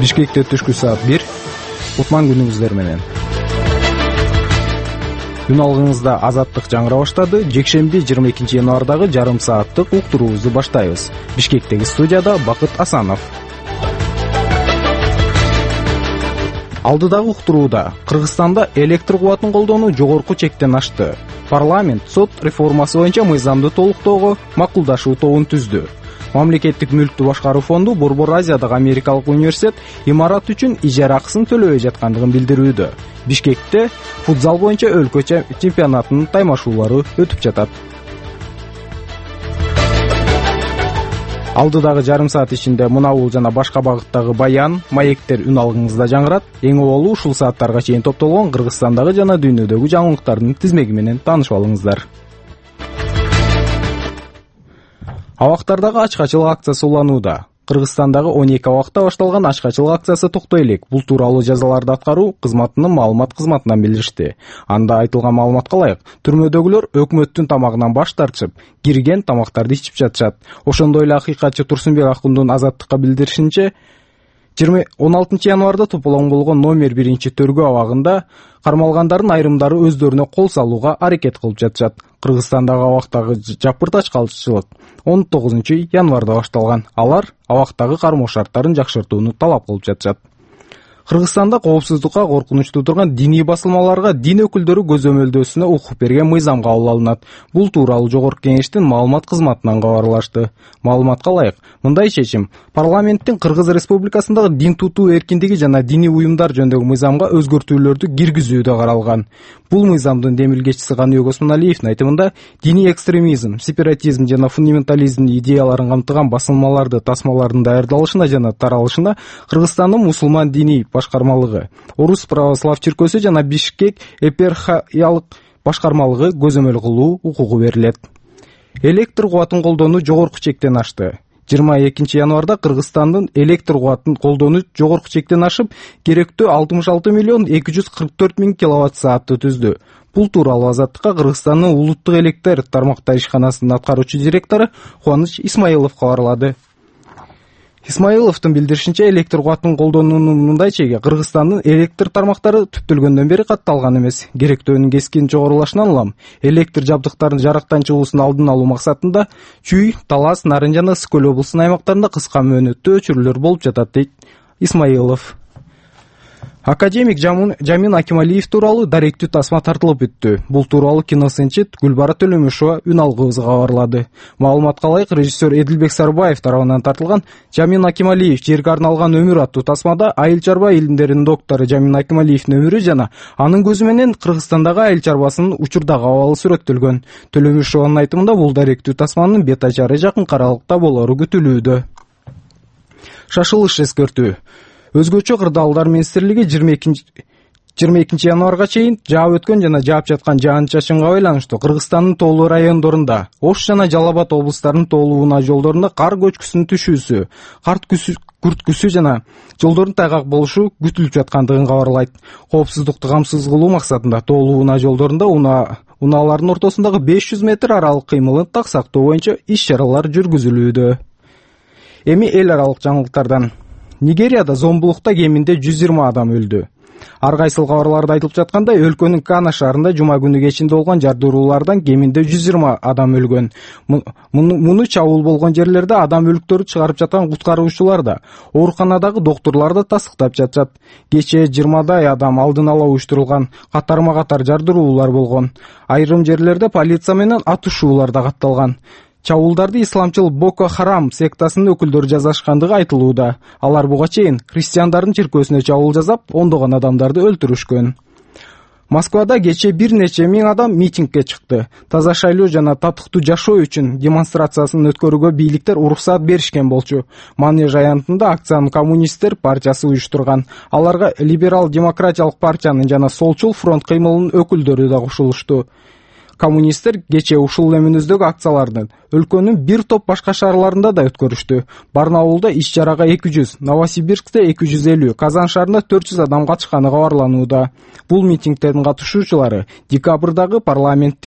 Бишкекте түшкү саат 1. Кутман күнүңүздөр менен. Күн алгыңызда азаттык жаңыра баштады. Жекшемби 22 январдагы жарым сааттык уктуруубузду баштайбыз. Бишкектеги студияда Бакыт Асанов. Алдыдагы уктурууда Кыргызстанда электр кубатын колдонуу жогорку чектен ашты. Парламент сот реформасы боюнча мыйзамды толуктоого макулдашуу тобун түздү. Мамлекеттик мүлктү башкаруу фонду Борбор Азиядагы Америкалык университет имарат үчүн ижара акысын төлөбөй жаткандыгын билдирүүдө. Бишкекте футзал боюнча өлкө чемпионатынын таймашуулары өтүп жатат. Алдыдагы жарым саат ичинде мынабул жана башка багыттагы баян, маектер үн алгыңызда жаңырат. Эң оболу ушул сааттарга чейин топтолгон Кыргызстандагы жана дүйнөдөгү жаңылыктардын тизмеги менен таанышып алыңыздар. Абактардагы ачкачылык акциясы уланууда. Кыргызстандагы 12 абакта башталган ачкачылык акциясы токтой элек. Бул тууралуу жазаларды аткаруу кызматынын маалымат кызматынан билдиришти. Анда айтылган маалыматка ылайык, түрмөдөгүлөр өкмөттүн тамагынан баш тартышып, кирген тамактарды ичип жатышат. Ошондой эле акыйкатчы Турсунбек Акундун Азаттыкка билдиришинче, 16 январда тополоң болгон номер 1-төргөө абагында кармалгандардын айрымдары өздөрүнө кол салууга аракет кылып жатышат. Кыргызстандагы абактагы жапырт ачкачылык 19 январда башталган. Алар абактагы кармоо шарттарын жакшыртууну талап кылып жатышат. Кыргызстанда коопсуздукка коркунучтуу турган диний басылмаларга дин өкүлдөрү көзөмөлдөөсүнө укук берген мыйзам кабыл алынат. Бул тууралуу Жогорку Кеңештин маалымат кызматынан кабарлашты. Маалыматка ылайык, мындай чечим парламенттин Кыргыз Республикасындагы дин тутуу эркиндиги жана диний уюмдар жөнүндөгү мыйзамга өзгөртүүлөрдү киргизүүдө каралган. Бул мыйзамдын демилгечиси Каныбек Осмоналиевдин айтымында, диний экстремизм, сепаратизм жана фундаментализм идеяларын камтыган басылмаларды тасмалардын даярдалышына жана таралышына Кыргызстандын мусулман диний башкармалыгы, Орус православ чиркөөсү жана Бишкек эпархиялык башкармалыгы көзөмөл кылуу укугу берилет. Электр кубатын колдонуу жогорку чектен ашты. 22 январда Кыргызстандын электр кубатын колдонуу жогорку чектен ашып, керектүү 66 миллион 244 миң киловатт саатты түздү. Бул тууралуу Азаттыкка Кыргызстандын улуттук электр тармактар ишканасынын аткаруучу директору Кубаныч Исмаилов кабарлады. Исмаиловдун билдиришинче, электр кубатын колдонуунун мындай чеги Кыргызстандын электр тармактары түптөлгөндөн бери катталган эмес. Керектөөнүн кескин жогорулашынан улам электр жабдыктарынын жарыктан чыгуусун алдын алуу максатында Чүй, Талас, Нарын жана Ысык Көл облусунун аймактарында кыска мөөнөттүү өчүрүүлөр болуп жатат, дейт Исмаилов. Академик Жамин Акималиев тууралуу даректүү тасма тартылып өттү. Бул тууралуу киносынчы Гүлбара Төлөмүшова үн алгыбызга кабарлады. Маалыматка ылайык, режиссер Эдилбек Сарбаев тарабынан тартылган Жамин Акималиев жерге арналган өмүр аттуу тасмада айыл чарба илимдеринин доктору Жамин Акималиевдин өмүрү жана анын көзү менен Кыргызстандагы айыл чарбасынын учурдагы абалы сүрөттөлгөн. Төлөмүшованын айтымында, бул даректүү тасманын бет ажары жакын аралыкта болору күтүлүүдө. Шашылыш эскертүү. Өзгөчө кырдаалдар министрлиги 22 январга чейин жаап өткөн жана жаап жаткан жаан-чачынга байланыштуу Кыргызстандын тоолуу райондорунда, Ош жана Жалал Абад облустарынын тоолуу унаа жолдорунда кар көчкүсүнүн түшүүсү, күрткүсү жана жолдордун тайгак болушу күтүлүп жаткандыгын кабарлайт. Коопсуздукту камсыз кылуу максатында тоолуу унаа жолдорунда унаалардын ортосундагы 500 метр аралык кыймылын так сактоо боюнча иш-чаралар жүргүзүлүүдө. Эми эл аралык жаңылыктардан. Нигерияда зомбулукта кеминде 120 адам өлдү. Ар кайсыл кабарларда айтылып жаткандай, өлкөнүн Кана шаарында жума күнү кечинде болгон жардыруулардан кеминде 120 адам өлгөн. Муну чабуул болгон жерлерде адам өлүктөрү чыгарып жаткан куткаруучулар да, ооруканадагы доктурлар да тастыктап жатышат. Кечээ 20дай адам алдын ала уюштурулган, катарма-катар жардыруулар болгон. Айрым жерлерде полиция менен атышуулар да катталган. Чабуулдарды исламчыл Боко Харам сектасынын өкүлдөрү жасашкандыгы айтылууда. Алар буга чейин христиандардын чиркөөсүнө чабуул жасап, ондогон адамдарды өлтүрүшкөн. Москвада кечээ бир нече миң адам митингге чыкты. Таза шайлоо жана татыктуу жашоо үчүн демонстрациясын өткөрүүгө бийликтер уруксаат беришкен болчу. Манеж аянтында акцияны коммунисттер партиясы уюштурган. Аларга либерал демократиялык партиянын жана солчул фронт кыймылынын өкүлдөрү да кошулушту. Коммунисттер кечээ ушул эминөздөгү акциялардын өлкөнүн бир топ башка шаарларында да өткөрүштү. Барнаулда иш-чарага 200, Новосибирскте 250, Казан шаарында 400 адам катышканы кабарланууда. Бул митингдердин катышуучулары декабрдагы парламент